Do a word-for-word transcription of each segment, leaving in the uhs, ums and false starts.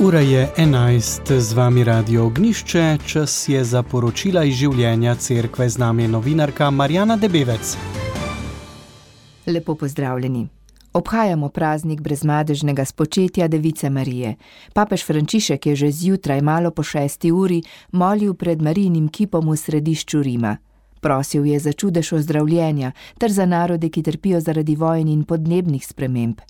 Ura je enajst, z vami Radio Ognjišče, čas je za poročila iz življenja cerkve, z nami je novinarka Marjana Debevec. Lepo pozdravljeni. Obhajamo praznik brezmadežnega spočetja Device Marije. Papež Frančišek je že zjutraj malo po šesti uri molil pred Marijinim kipom v središču Rima. Prosil je za čudež ozdravljenja ter za narode, ki trpijo zaradi vojn in podnebnih sprememb.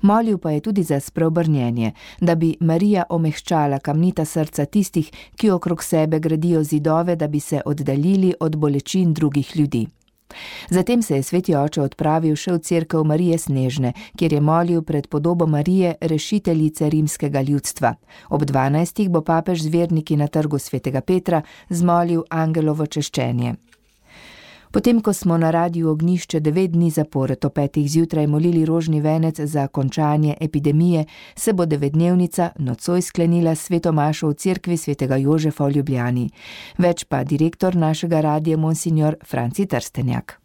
Molil pa je tudi za spreobrnjenje, da bi Marija omehčala kamnita srca tistih, ki okrog sebe gradijo zidove, da bi se oddaljili od bolečin drugih ljudi. Zatem se je sveti oče odpravil še v cerkev Marije Snežne, kjer je molil pred podobo Marije, rešiteljice rimskega ljudstva. Ob dvanajstih bo papež z verniki na trgu svetega Petra zmolil angelovo češčenje. Potem, ko smo na Radiu Ognjišče devet dni zapored o petih zjutraj molili rožni venec za končanje epidemije, se bo devetdnevnica nocoj sklenila s sveto mašo v cerkvi svetega Jožefa v Ljubljani. Več pa direktor našega radija monsignor Franci Trstenjak.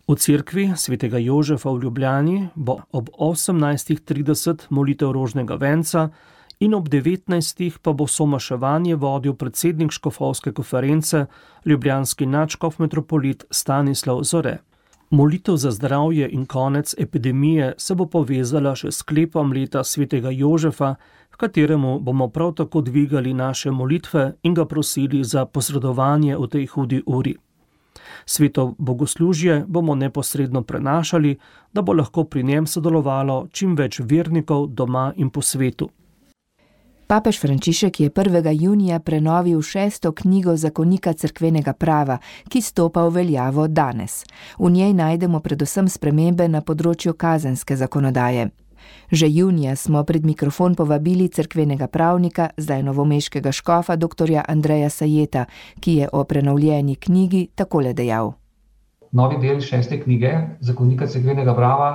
V cerkvi svetega Jožefa v Ljubljani bo ob osemnajstih trideset molitev rožnega venca in ob devetnajstih pa bo somaševanje vodil predsednik škofovske konference, ljubljanski nadškof metropolit Stanislav Zore. Molitev za zdravje in konec epidemije se bo povezala še s sklepom leta svetega Jožefa, v kateremu bomo prav tako dvigali naše molitve in ga prosili za posredovanje v tej hudi uri. Sveto bogoslužje bomo neposredno prenašali, da bo lahko pri njem sodelovalo čim več vernikov doma in po svetu. Papež Frančišek je prvega junija prenovil šesto knjigo zakonika cerkvenega prava, ki stopa v veljavo danes. V njej najdemo predvsem spremembe na področju kazenske zakonodaje. Že junija smo pred mikrofon povabili cerkvenega pravnika, zdaj novomeškega škofa doktorja Andreja Sajeta, ki je o prenovljeni knjigi takole dejal. Novi del šeste knjige zakonika cerkvenega prava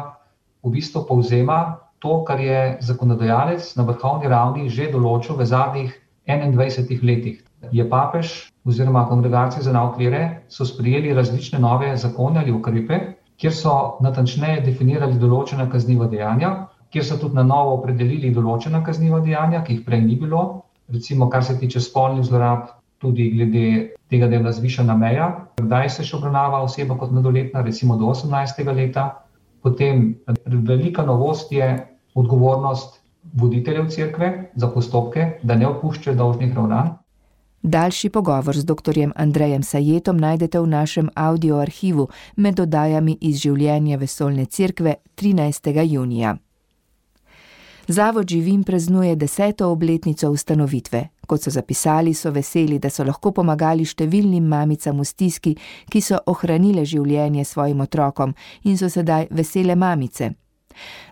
v bistvu povzema to, kar je zakonodajalec na vrhovni ravni že določil v zadnjih enaindvajsetih letih. Je papež oziroma kongregacije za nauk vere so sprejeli različne nove zakone ali ukrepe, kjer so natančneje definirali določena kazniva dejanja, kjer so tudi na novo opredelili določena kazniva dejanja, ki jih prej ni bilo, recimo kar se tiče spolnih zlorab, tudi glede tega, da je bila zvišana meja, kdaj se še obravnava oseba kot mladoletna, recimo do osemnajstega leta. Potem velika novost je odgovornost voditeljev cerkve za postopke, da ne opuščajo dolžnih ravnanj. Daljši pogovor z doktorjem Andrejem Sajetom najdete v našem audio arhivu med oddajami iz življenja vesoljne cerkve trinajstega junija. Zavod Živim praznuje deseto obletnico ustanovitve. Kot so zapisali, so veseli, da so lahko pomagali številnim mamicam v stiski, ki so ohranile življenje svojim otrokom in so sedaj vesele mamice.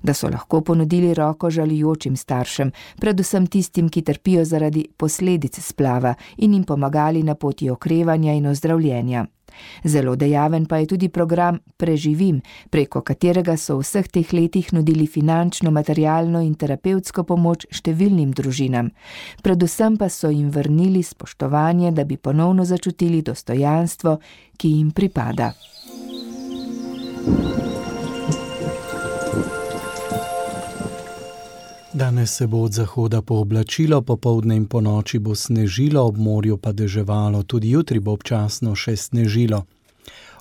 Da so lahko ponudili roko žalujočim staršem, predvsem tistim, ki trpijo zaradi posledic splava in jim pomagali na poti okrevanja in ozdravljenja. Zelo dejaven pa je tudi program Preživim, preko katerega so v vseh teh letih nudili finančno, materialno in terapevtsko pomoč številnim družinam. Predvsem pa so jim vrnili spoštovanje, da bi ponovno začutili dostojanstvo, ki jim pripada. Danes se bo od zahoda pooblačilo, popoldne in ponoči bo snežilo, ob morju pa deževalo, tudi jutri bo občasno še snežilo.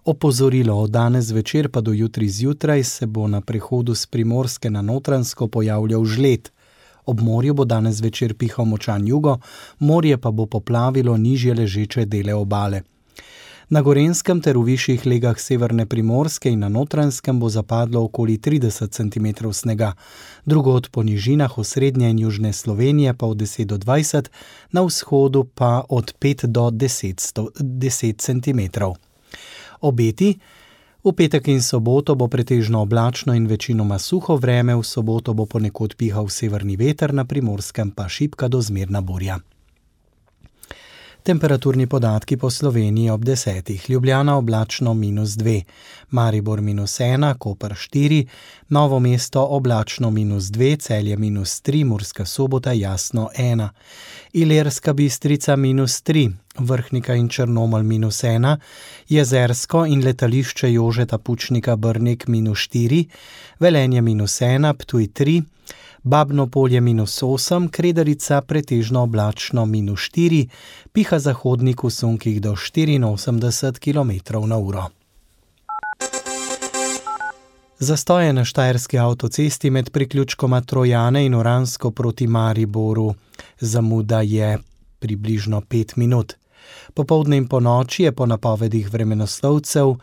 Opozorilo od danes večer pa do jutri zjutraj se bo na prehodu s Primorske na Notranjsko pojavljal žled. Ob morju bo danes večer pihal močan jugo, morje pa bo poplavilo nižje ležeče dele obale. Na Gorenjskem ter v višjih legah severne Primorske in na Notranjskem bo zapadlo okoli trideset centimetrov snega, drugod po nižinah osrednje in južne Slovenije pa od deset do dvajset, na vzhodu pa od pet do deset centimetrov. Obeti: v petek in soboto bo pretežno oblačno in večinoma suho vreme, v soboto bo ponekod pihal severni veter, na Primorskem pa šibka do zmerna burja. Temperaturni podatki po Sloveniji ob desetih. Ljubljana oblačno minus dve, Maribor minus ena, Koper štiri, Novo mesto oblačno minus dve, Celje minus tri, Murska Sobota jasno ena, Ilirska Bistrica minus tri, Vrhnika in Črnomelj minus ena, Jezersko in letališče Jožeta Pučnika Brnik minus štiri, Velenje minus ena, Ptuj tri, Babno Polje minus osem, Kredarica pretežno oblačno minus štiri, piha zahodnik v sunkih do štiriinosemdeset kilometrov na uro. Zastoje na štajerski avtocesti med priključkoma Trojane in Oransko proti Mariboru. Zamuda je približno pet minut. Popoldne in ponoči je po napovedih vremenoslovcev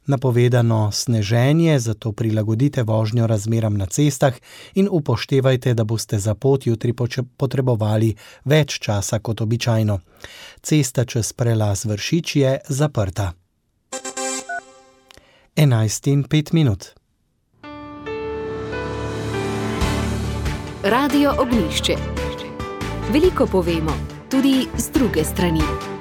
napovedano sneženje, zato prilagodite vožnjo razmeram na cestah in upoštevajte, da boste za pot jutri potrebovali več časa kot običajno. Cesta čez prelaz Vršič je zaprta. enajst in pet minut. Radio Ognjišče. Veliko povemo, tudi z druge strani.